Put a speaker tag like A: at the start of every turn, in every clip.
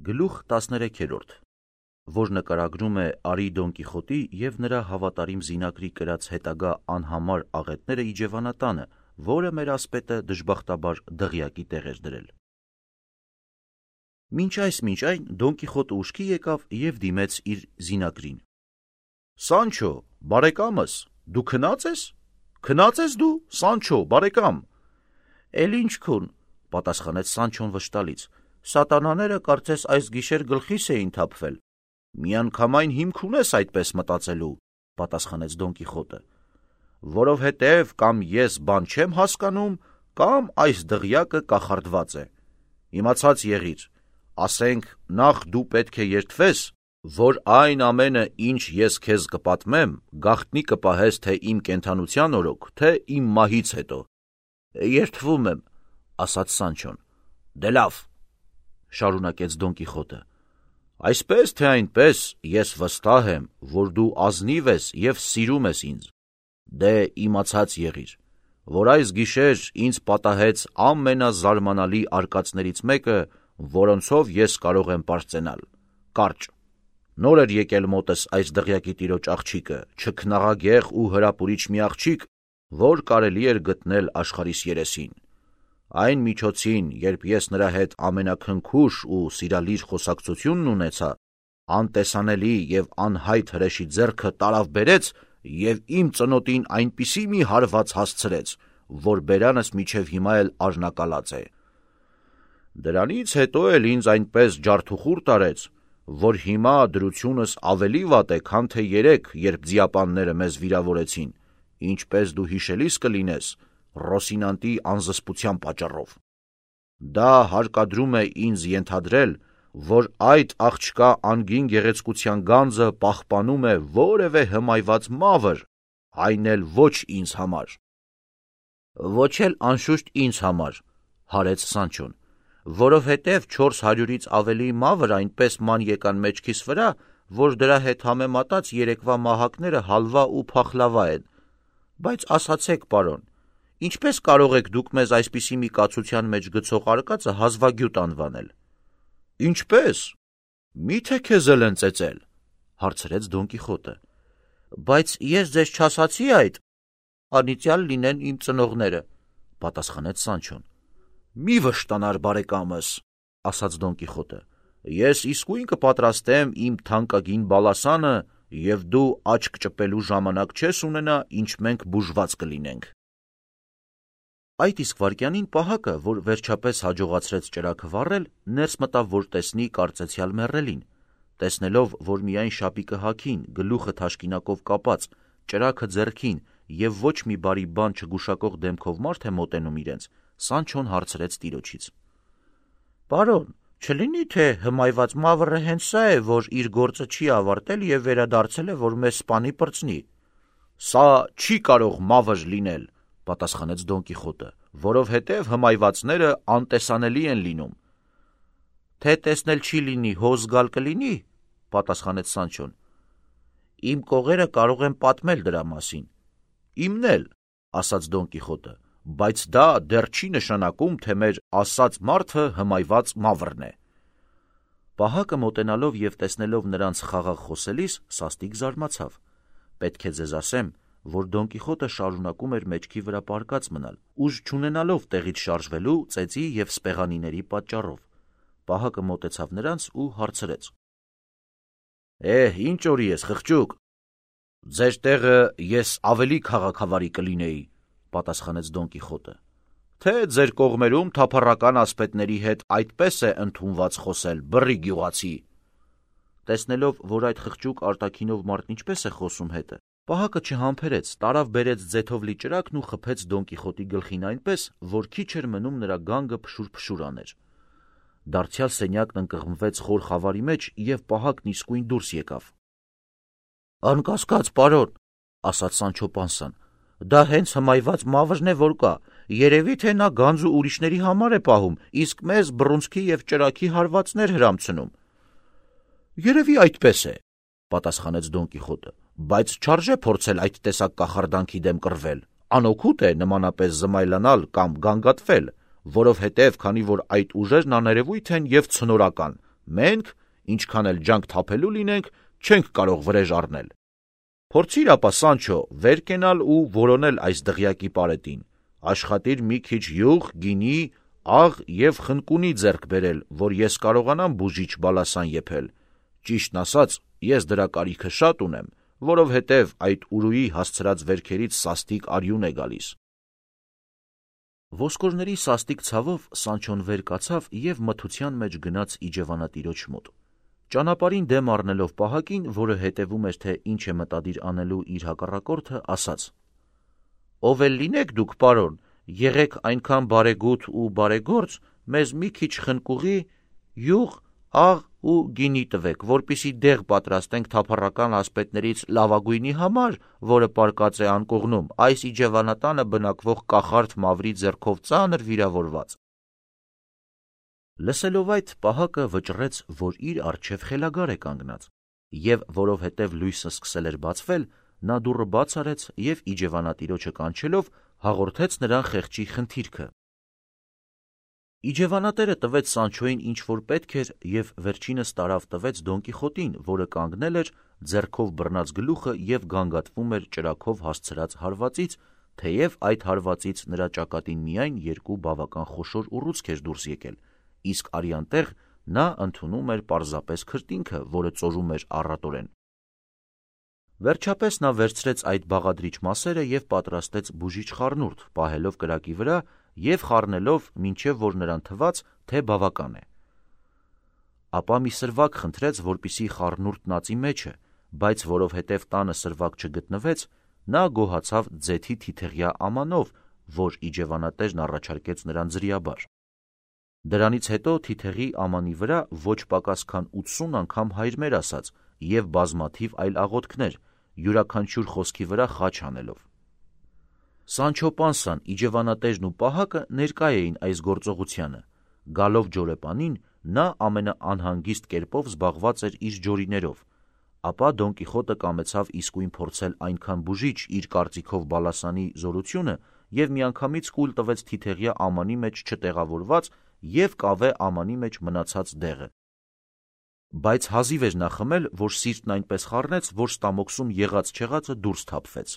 A: Գլուխ 13, որ նկարագրում է Արի Դոն Կիխոտի և նրա հավատարիմ զինակրի կրած հետագա անհամար աղետները իջևանատանը, որը մեր ասպետը դժբախտաբար դղյակի տեղ էր դրել։ Մինչ այն Դոն Կիխոտը ուշքի եկավ և դիմեց իր զինակրին։ «Սանչո, բարեկամս, դու քնած ես? Քնած ես դու, Սանչո, բարեկամ»։ «Էլ ինչ քուն», պատասխանեց Սանչոն վշտալից, «սատանաները կարծես այս գիշեր գլխիս էին թափվել»։ «Միանգամայն հիմք ունես այդպես մտածելու», պատասխանեց Դոն Կիխոտը, «որովհետև կամ ես բան չեմ հասկանում, կամ այս դղյակը կախարդված է։ Իմացած եղիր, ասենք նախ դու պետք է երդվես, որ այն ամենը, ինչ ես քեզ կպատմեմ, գաղտնի կպահես թե իմ կենդանության օրոք, թե իմ մահից հետո»։ «Երդվում եմ», ասաց Սանչոն։ «Դե լավ», շարունակեց Դոն Կիխոտը, «այսպես թե այնպես ես վստահ եմ, որ դու ազնիվ ես և սիրում ես ինձ։ Դե իմացած եղիր, որ այս գիշեր ինձ պատահեց ամենազարմանալի արկածներից մեկը, որոնցով ես կարող եմ պարծենալ։ Կարճ։ Նոր էր եկել մոտս այս դղյակի տիրոջ աղջիկը, չքնաղագեղ ու հրապուրիչ մի աղջիկ, որ կարելի էր գտնել աշխարհիս երեսին։ Այն միջոցին, երբ ես նրա հետ ամենաքնքուշ ու սիրալիր խոսակցությունն ունեցա, անտեսանելի և անհայտ հրեշի ձեռքը տարավ բերեց և իմ ծնոտին այնպիսի մի հարված հասցրեց, որ բերանս մինչև հիմա էլ արժնակալած է։ Դրանից հետո էլ ինձ այնպես ջարդուխուր տարեց, որ հիմա դրությունս ավելի վատ է, քան թե երեկ, երբ ձիապանները մեզ վիրավորեցին, ինչպես դու հիշելիս կլինես, Ռոսինանտի անզսպության պատճառով։ Դա հարկադրում է ինձ ենթադրել, որ այդ աղջկա անգին գեղեցկության գանձը պահպանում է որևէ հմայված մավր, այն էլ ոչ ինձ համար։ Ոչ էլ անշուշտ ինձ համար, հարեց Սանչոն, որովհետև 400-ից ավելի մավր այնպես ման եկան մեջքիս վրա, որ դրա հետ համեմատած երեկվա մահակները հալվա ու փախլավա են։ Բայց ասացեք, պարոն, ինչպես կարող եք դուք մեզ այսպիսի մի կացության մեջ գցող արկածը հազվագյուտ անվանել։ Ինչպես։ Մի՞թե քեզ էլ են ծեծել, հարցրեց Դոն Կիխոտը։ Բայց ես ձեզ չասացի այդ, անիծյալ լինեն իմ ծնողները, պատասխանեց Սանչոն։ Մի վշտանար, բարեկամս, ասաց Դոն Կիխոտը, ես իսկույն կպատրաստեմ իմ թանկագին բալասանը, և դու աչք ճպելու ժամանակ չես ունենա, ինչ մենք բուժված կլինենք։ Այդ իսկ վայրկյանին պահակը, որ վերջապես հաջողացրեց ճրագը վառել, ներս մտավ, որ տեսնի կարծեցյալ մեռելին։ Տեսնելով, որ միայն շապիկը հագին, գլուխը թաշկինակով կապած, ճրագը ձեռքին և ոչ մի բարի բան չգուշակող դեմքով մարդ է մոտենում իրենց, Սանչոն հարցրեց տիրոջից. Պարոն, չլինի թե հմայված մավրը հենց սա է, որ իր գործը չի ավարտել և վերադարձել է, որ մեզ սպանի պրծնի։ Սա չի կարող մավր լինել, պատասխանեց Դոն Կիխոտը, որովհետև հմայվածները անտեսանելի են լինում։ Թե տեսնել չի լինի, հոզ գալ կլինի, պատասխանեց Սանչոն։ Իմ կողերը կարող են պատմել դրա մասին։ Իմն էլ, ասաց Դոն Կիխոտը, բայց դա դեռ չի նշանակում, թե մեր ասած մարդը հմայված մավրն է։ Պահակը մոտենալով և տեսնելով նրանց խաղաղ խոսելիս, սաստիկ զարմացավ։ Պետք է ձեզ ասեմ, որ Դոն Կիխոտը շարունակում էր մեջքի վրա պառկած մնալ, ուժ չունենալով տեղից շարժվելու ծեծի և սպեղանիների պատճառով։ Պահակը մոտեցավ նրանց ու հարցրեց. Ինչ օրի ես, խղճուկ։ Ձեր տեղը ես ավելի քաղաքավարի կլինեի, պատասխանեց Դոն Կիխոտը։ Թե ձեր կողմերում թափառական ասպետների հետ այդպես է ընդունված խոսել, բռի գյուղացի։ Տեսնելով, որ այդ խղճուկ արտաքինով մարդն ինչպես է խոսում հետը, Պահակը չհամբերեց, տարավ բերեց ձեթով լի ճրագն ու խփեց Դոն Կիխոտի գլխին այնպես, որ քիչ էր մնում նրա գանգը փշուր-փշուր աներ։ Դարձյալ սենյակն ընկղմվեց խոր խավարի մեջ և Պահակն իսկույն դուրս եկավ։ Անկասկած, պարոն, ասաց Սանչո Պանսան, դա հենց հմայված մավրն է, որ կա, երևի թե նա գանձ ու ուրիշների համար է պահում, իսկ մեզ բռունցքի և ճրագի հարվածներ հրամցնում։ Երևի այդպես է, պատասխանեց Դոն Կիխոտը, բայց չարժե փորձել այդ տեսակ կախարդանքի դեմ կռվել, անօգուտ է նմանապես զմայլանալ կամ գանգատվել, որովհետև քանի որ այդ ուժերն աներևույթ են և ցնորական, Մենք, ինչքան էլ ջանք թափելու լինենք, չենք կարող վրեժ առնել։ Փորձիր ապա, Սանչո, վեր կենալ ու որոնել այս դղյակի պարետին, աշխատիր մի քիչ յուղ, գինի, աղ և խնկունի ձեռք բերել, որ ես կարողանամ բուժիչ բալասան եփել։ Ճիշտն ասած, ես դրա կարիքը շատ ունեմ, որովհետև այդ ուրույի հասցրած վերքերից սաստիկ արյուն է գալիս։ Ոսկորների սաստիկ ցավով Սանչոն վեր կացավ և մթության մեջ գնաց իջևանատիրոջ մոտ։ Ճանապարհին դեմ առնելով պահակին, որը հետևում էր, թե ինչ է մտադիր անելու իր հակառակորդը, ասաց. «Ով էլ լինեք դուք, պարոն, եղեք այնքան բարեգութ ու բարեգործ, մեզ մի քիչ խնկուղի, յուղ, աղ ու գինի տվեք, որպեսզի դեղ պատրաստենք թափառական ասպետներից լավագույնի համար, որը պառկած է անկողնում, այս իջևանատանը բնակվող կախարդ Մավրի ձեռքով ծանր վիրավորված»։ Լսելով այդ, պահակը վճռեց, որ իր առջև խելագար է կանգնած, և որովհետև լույսը սկսել էր բացվել, նա դուռը բաց արեց և իջևանատիրոջը կանչելով հաղորդեց նրան խեղճի խնդիրքը։ Իջևանատերը տվեց Սանչոյին ինչ որ պետք էր և վերջինս տարավ տվեց Դոն Կիխոտին, որը կանգնել էր, ձեռքով բռնած գլուխը և գանգատվում էր ճրագով հասցրած հարվածից, թեև այդ հարվածից նրա ճակատին միայն երկու բավական խոշոր ուռուցք էր դուրս եկել, իսկ արյան տեղ նա ընդունում էր պարզապես քրտինքը, որը ծորում էր առատորեն։ Վերջապես նա վերցրեց այդ բաղադրիչ մասերը և պատրաստեց բուժիչ խառնուրդ, պահելով կրակի վրա և խառնելով, մինչև որ նրան թվաց, թե բավական է։ Ապա մի սրվակ խնդրեց, որպեսզի խառնուրդն ածի մեջը, բայց որովհետև տանը սրվակ չգտնվեց, նա գոհացավ ձեթի թիթեղյա ամանով, որ իջևանատերն առաջարկեց նրան ձրիաբար։ Դրանից հետո թիթեղի ամանի վրա ոչ պակաս քան 80 անգամ հայրմեր ասաց և բազմաթիվ այլ աղոթքներ, յուրաքանչյուր խոսքի վրա խաչ անելով։ Սանչո Պանսան, իջևանատերն ու պահակը ներկա էին այս գործողությանը։ Գալով ջորեպանին, նա ամենաանհանգիստ կերպով զբաղված էր իր ջորիներով, ապա Դոն Կիխոտը կամեցավ իսկույն փորձել այնքան բուժիչ իր կարծիքով բալասանի զորությունը և միանգամից կուլ տվեց թիթեղյա ամանի մեջ չտեղավորված և կավե ամանի մեջ մնացած դեղը։ Բայց հազիվ էր նա խմել, որ սիրտն այնպես խառնեց, որ ստամոքսում եղած-չեղածը դուրս թափվեց։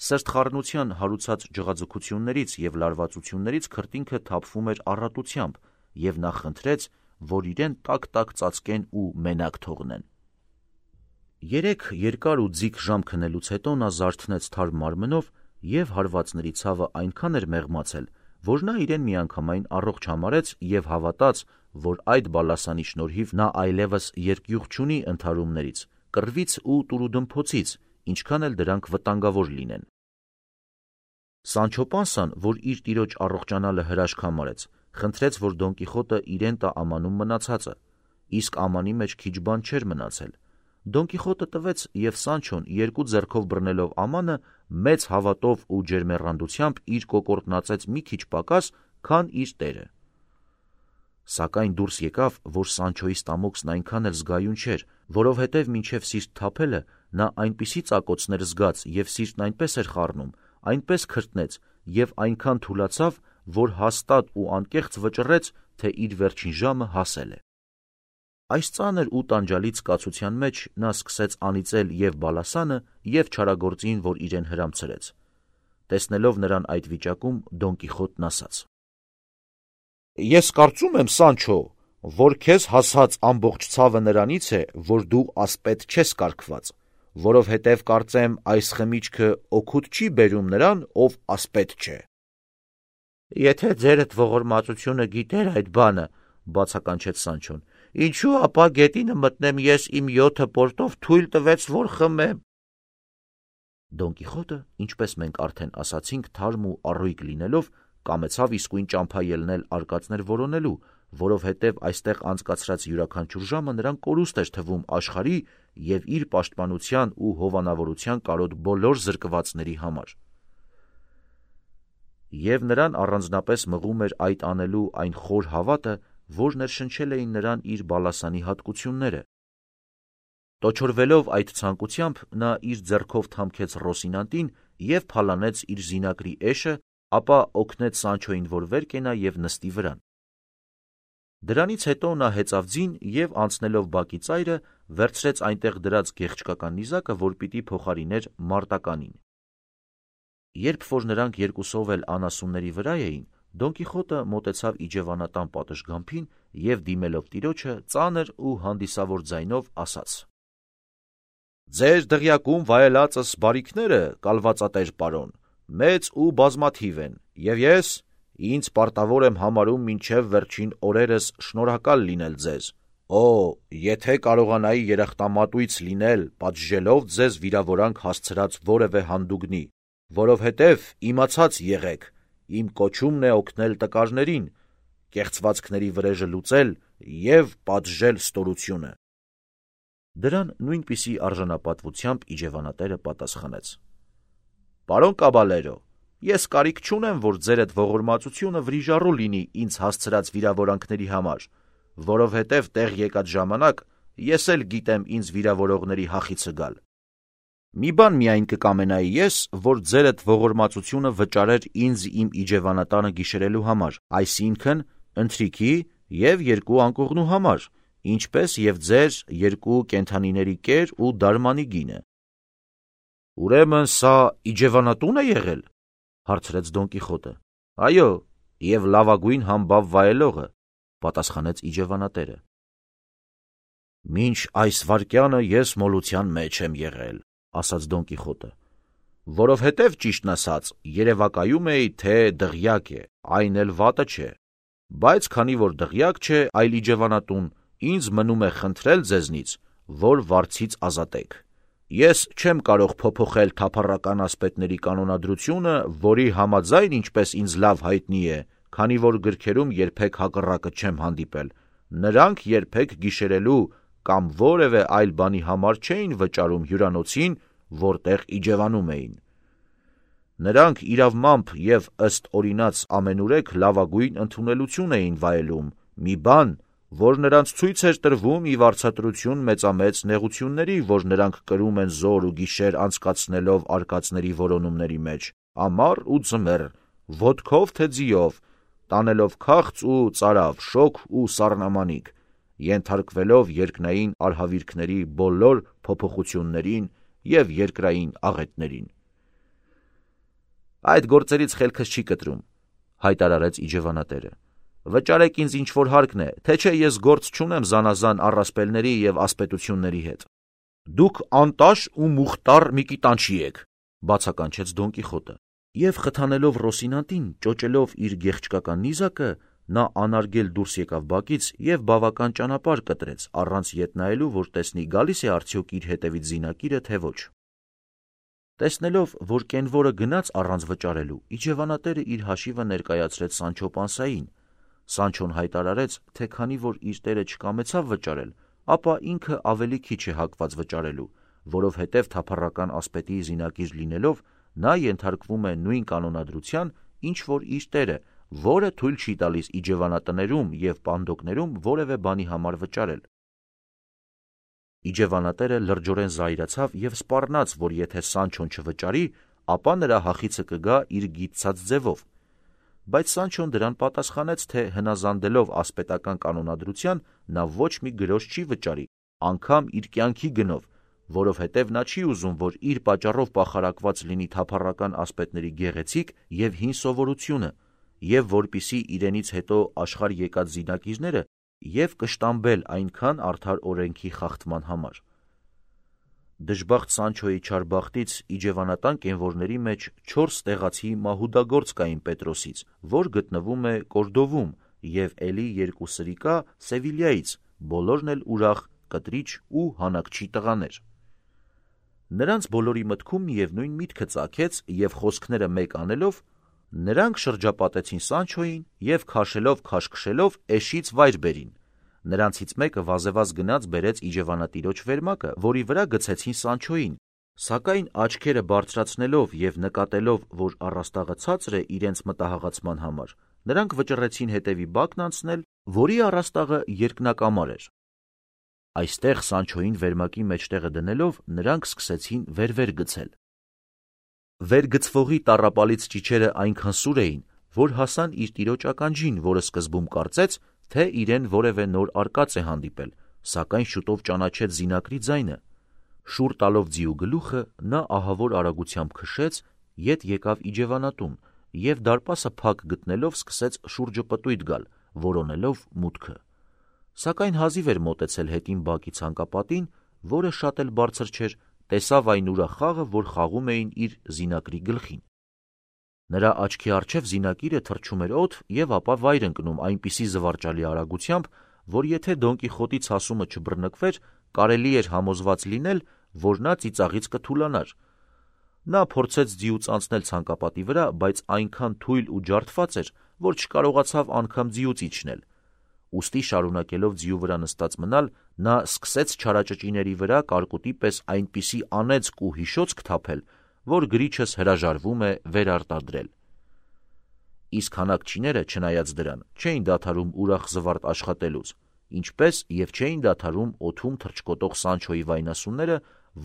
A: Սրտխառնության հարուցած ջղաձգություններից և լարվածություններից քրտինքը թափվում էր առատությամբ, և նա խնդրեց, որ իրեն տաք-տաք ծածկեն ու մենակ թողնեն։ 3 երկար ու ձիգ ժամ քնելուց հետո նա զարթնեց թարմ մարմնով և հարվածների ցավը այնքան էր մեղմացել, որ նա իրեն միանգամայն առողջ համարեց և հավատաց, որ այդ բալասանի շնորհիվ նա այլևս երկյուղ չունի ընդհարումներից, կռվից ու տուրուդմփոցից, ինչքան էլ դրանք վտանգավոր լինեն։ Սանչո Պանսան, որ իր տիրոջ առողջանալը հրաշք համարեց, խնդրեց, որ Դոն Կիխոտը իրեն տա ամանում մնացածը, իսկ ամանի մեջ քիչ բան չէր մնացել։ Դոն Կիխոտը տվեց, և Սանչոն, երկու ձեռքով բռնելով ամանը, մեծ հավատով ու ջերմեռանդությամբ իր կոկորդն ածեց մի քիչ պակաս, քան իր տերը։ Սակայն դուրս եկավ, որ Սանչոյի ստամոքսն այնքան էլ զգայուն չէր, որովհետև մինչև սիրտ թափելը նա այնպիսի ծակոցներ զգաց և սիրտն այնպես էր խառնում, այնպես քրտնեց և այնքան թուլացավ, որ հաստատ ու անկեղծ վճռեց, թե իր վերջին ժամը հասել է։ Այս ծանր ու տանջալից զգացության մեջ նա սկսեց անիծել և բալասանը, և չարագործին, որ իրեն հրամցրեց։ Տեսնելով նրան այդ վիճակում, Դոն Կիխոտն ասաց. «Ես կարծում եմ, Սանչո, որ քեզ հասած ամբողջ ցավը նրանից է, որ դու ասպետ չես կարգված, որովհետև կարծեմ այս խմիչքը օգուտ չի բերում նրան, ով ասպետ չէ»։ «Եթե ձերդ ողորմածությունը գիտեր այդ բանը, բացականչեց Սանչոն, ինչու ապա գետինը մտնեմ ես իմ 7 պորտով թույլ տվեց, որ խմեմ։ Դոն Կիխոտը, ինչպես մենք արդեն ասացինք, թարմ ու առույգ լինելով, կամեցավ իսկույն ճամփա ելնել արկածներ որոնելու, որովհետև այստեղ անցկացրած յուրաքանչյուր ժամը նրան կորուստ էր թվում աշխարհի և իր պաշտպանության ու հովանավորության կարոտ բոլոր զրկվածների համար։ Եվ նրան առանձնապես մղում էր այդ անելու այն խոր հավատը, որ ներշնչել էին նրան իր բալասանի հատկությունները։ Տոչորվելով այդ ցանկությամբ, նա իր ձեռքով թամքեց Ռոսինանտին և փալանեց իր զինակրի էշը, ապա օգնեց Սանչոյին, որ վեր կենա և նստի վրան։ Դրանից հետո նա հեծավ ձին և անցնելով բակի ծայրը, վերցրեց այնտեղ դրած գեղչկական նիզակը, որ պիտի փոխարիներ մարտականին։ Երբ որ նրանք երկուսով էլ անասունների վրա էին, Դոն Կիխոտը մոտեցավ իջևանատան պատշգամբին և դիմելով տիրոջը ծանր ու հանդիսավոր ձայնով ասաց. «Ձեր դղյակում վայելածս բարիքները, կալվածատեր պարոն, մեծ ու բազմաթիվ են, և ես ինձ պարտավոր եմ համարում մինչև վերջին օրերս շնորհակալ լինել ձեզ։ Օ, եթե կարողանայի երախտամատույց լինել, պատժելով ձեզ վիրավորանք հասցրած որևէ հանդուգնի, որովհետև իմացած եղեք, իմ կոչումն է օգնել տկարներին, կեղծվածքների վրեժը լուծել և պատժել ստորությունը»։ Դրան նույնպիսի արժանապատվությամբ իջևանատերը պատասխանեց. «Պարոն Կաբալերո, ես կարիք չունեմ, որ ձեր այդ ողորմածությունը վրիժառու լինի ինձ հասցրած վիրավորանքների համար, որովհետև տեղ եկած ժամանակ ես էլ գիտեմ ինձ վիրավորողների հախիցը գալ։ Մի բան միայն կկամենայի ես, որ ձեր այդ ողորմածությունը վճարեր ինձ իմ իջևանատանը գիշերելու համար, այսինքն ընթրիքի և 2 անկողնու համար, ինչպես և ձեր 2 կենդանիների կեր ու դարմանի գինը»։ «Ուրեմն սա իջևանատո՞ւն է եղել», հարցրեց Դոն Կիխոտը։ «Այո, և լավագույն համբավ վայելողը», պատասխանեց իջևանատերը։ «Մինչ այս վայրկյանը ես մոլության մեջ եմ եղել», ասաց Դոն Կիխոտը, «որովհետև ճիշտն ասած երևակայում էի, թե դղյակ է, այն էլ վատը չէ, բայց քանի որ դղյակ չէ, այլ իջևանատուն, ինձ մնում է խնդրել ձեզնից, որ վարձից ազատեք։ Ես չեմ կարող փոփոխել թափառական ասպետների կանոնադրությունը, որի համաձայն, ինչպես ինձ լավ հայտնի է, քանի որ գրքերում երբեք հակառակը չեմ հանդիպել, նրանք երբեք գիշերելու կամ որևէ այլ բանի համար չէին վճարում հյուրանոցին, որտեղ իջևանում էին։ Նրանք իրավմամբ և ըստ օրինաց ամենուրեք լավագույն ընդունելություն էին վայելում, մի բան, որ նրանց ցույց էր տրվում ի վարձատրություն մեծամեծ նեղությունների, որ նրանք կրում են զօր ու գիշեր անցկացնելով արկածների որոնումների մեջ, ամառ ու ձմեռ, ոտքով թե ձիով, տանելով քաղց ու ծարավ, շոգ ու սառնամանիք, ենթարկվելով երկնային արհավիրքների բոլոր փոփոխություններին և երկրային աղետներին։ «Այդ գործերից խելքս չի կտրում», հայտարարեց իջևանատերը։ «Վճարեք ինձ ինչ որ հարկն է, թե չէ ես գործ չունեմ զանազան առասպելների և ասպետությունների հետ»։ «Դուք անտաշ ու մուխտառ մի կիտանչի եք», բացականչեց Դոն Կիխոտը, և խթանելով Ռոսինանտին, ճոճելով իր գեղչկական նիզակը, նա անարգել դուրս եկավ բակից և բավական ճանապարհ կտրեց, առանց ետ նայելու, որ տեսնի գալիս է արդյոք իր հետևից զինակիրը, թե ոչ։ Տեսնելով, որ կենվորը գնաց առանց վճարելու, իջևանատերը իր հաշիվը ներկայացրեց Սանչո պանսային։ Սանչոն հայտարարեց, թե քանի որ իր տերը չկամեցավ վճարել, ապա ինքը ավելի քիչ է հակված վճարելու, որովհետև թափառական ասպետի զինակիր լինելով, նա ենթարկվում է նույն կանոնադրության, ինչ որ իր տերը, որը թույլ չի տալիս իջևանատներում և պանդոկներում որևէ բանի համար վճարել։ Իջևանատերը լրջորեն զայրացավ և սպառնաց, որ եթե Սանչոն չվճարի, ապա նրա հախիցը կգա իր գիտցած ձևով։ Բայց Սանչոն դրան պատասխանեց, թե հնազանդելով ասպետական կանոնադրության, նա ոչ մի գրոշ չի վճարի, անգամ իր կյանքի գնով, որովհետև նա չի ուզում, որ իր պատճառով պախարակված լինի թափառական ասպետների գեղեցիկ և հին սովորությունը, և որպիսի իրենից հետո աշխարհ եկած զինակիրները և կշտամբել այնքան արդար օրենքի խախտման համար։ Դժբախտ Սանչոյի չար բախտից իջևանատան կենվորների մեջ 4 տեղացի մահուդագործ կային Պետրոսից, որ գտնվում է Կորդովում, և էլի 2 սրիկա Սևիլյայից, բոլորն էլ ուրախ, կտրիչ ու հանակչի տղաներ։ Նրանց բոլորի մտքում միևնույն միտքը ծագեց, և խոսքները մեկ անելով, նրանք շրջապատեցին Սանչոյին և քաշելով քաշքշելով էշից վայր բերին։ Նրանցից մեկը վազեվազ գնաց բերեց իջևանատիրոջ վերմակը, որի վրա գցեցին Սանչոյին, սակայն աչքերը բարձրացնելով և նկատելով, որ առաստաղը ցածր է իրենց մտահաղացման համար, նրանք վճռեցին հետևի բակն անցնել, որի առաստաղը երկնակամար էր։ Այստեղ Սանչոյին վերմակի մեջտեղը դնելով, նրանք սկսեցին վեր գցել։ Վերգցվողի տառապալից ճիչերը այնքան սուր էին, որ հասան իր տիրոջ ականջին, որը սկզբում կարծեց, թե իրեն որևէ նոր արկած է հանդիպել, սակայն շուտով ճանաչեց զինակրի ձայնը։ Շուռ տալով ձիու գլուխը, նա ահավոր արագությամբ քշեց, ետ եկավ իջևանատուն և դարպասը փակ գտնելով սկսեց շուրջը պտույտ գալ, որոնելով մուտքը։ Սակայն հազիվ էր մոտեցել հետին բակի ցանկապատին, որը շատ էլ բարձր չէր, տեսավ այն ուրախ խաղը, որ խաղում էին իր զինակրի գլխին։ Նրա աչքի առջև զինակիրը թռչում էր օդ և ապա վայր ընկնում այնպիսի զվարճալի արագությամբ, որ եթե Դոն Կիխոտի ցասումը չբռնկվեր, կարելի էր համոզված լինել, որ նա ծիծաղից կթուլանար։ Նա փորձեց ձիուց անցնել ցանկապատի վրա, բայց այնքան թույլ ու ջարդված էր, որ չկարողացավ անգամ ձիուց իջնել։ Ուստի շարունակելով ձիու վրա նստած մնալ, նա սկսեց չարաճճիների վրա կարկուտի պես այնպիսի անեծք ու հիշոցք թափել, որ գրիչս հրաժարվում է վերարտադրել։ Իսկ հանակչիները, չնայած դրան, չէին դադարում ուրախ զվարթ աշխատելուց, ինչպես և չէին դադարում օդում թռչկոտող Սանչոյի վայնասունները,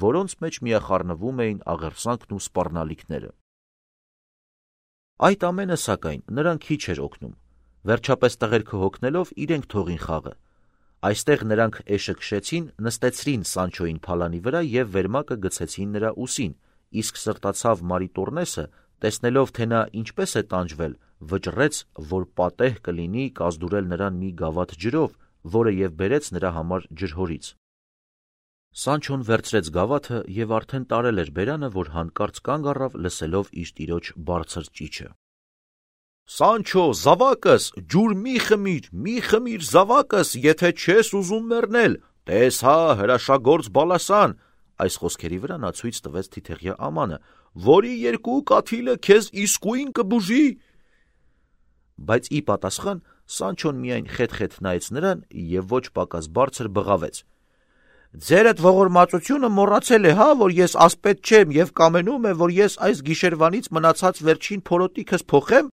A: որոնց մեջ միախառնվում էին աղերսանքն ու սպառնալիքները։ Այդ ամենը, սակայն, նրան քիչ էր օգնում։ Վերջապես տղերքը հոգնելով իրենք թողին խաղը։ Այստեղ նրանք էշը քշեցին, նստեցրին Սանչոյին փալանի վրա և վերմակը գցեցին նրա ուսին, իսկ սրտացավ Մարիտոռնեսը, տեսնելով, թե նա ինչպես է տանջվել, վճռեց, որ պատեհ կլինի կազդուրել նրան մի գավաթ ջրով, որը և բերեց նրա համար ջրհորից։ Սանչոն վերցրեց գավաթը և արդեն տարել էր բերանը, որ հանկարծ կանգ առավ, լսելով իր տիրոջ բարձր ճիչը։ «Սանչո, զավակս, ջուր մի խմիր, զավակս, եթե չես ուզում մեռնել, տես հա, հրաշագործ բալասան», այս խոսքերի վրա նա ցույց տվեց թիթեղյա ամանը, «որի երկու կաթիլը քեզ իսկույն կբուժի»։ Բայց ի պատասխան Սանչոն միայն խետ-խետ նայեց նրան և ոչ պակաս բարձր բղավեց. «Ձերդ ողորմածությունը մոռացել է, հա, որ ես ասպետ չեմ և կամենում է, որ ես այս գիշերվանից մնացած վերջին փորոտիքս փոխեմ։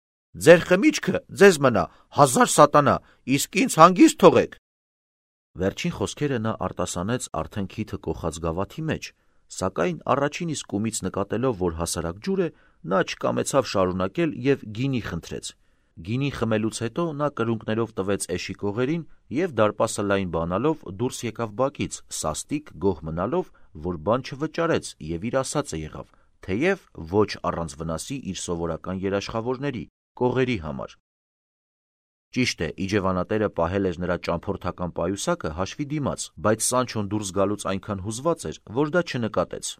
A: Ձեր խմիչքը ձեզ մնա, 1000 սատանա, իսկ ինձ հանգիստ թողեք»։ Վերջին խոսքերը նա արտասանեց արդեն քիթը կոխած գավաթի մեջ, սակայն առաջին իսկ կումից նկատելով, որ հասարակ ջուր է, նա չկամեցավ շարունակել և գինի խնդրեց։ Գինի խմելուց հետո նա կրունկներով տվեց էշի կողերին և դարպասը լայն բանալով դուրս եկավ բակից, սաստիկ գոհ մնալով, որ բան չվճարեց և իր ասածը եղավ, թեև ոչ առանց վնասի իր սովորական երաշխավորների՝ կողերի համար։ Ճիշտ է, իջևանատերը պահել էր նրա ճամփորդական պայուսակը հաշվի դիմաց, բայց Սանչոն դուրս գալուց այնքան հուզված էր, որ դա չնկատեց։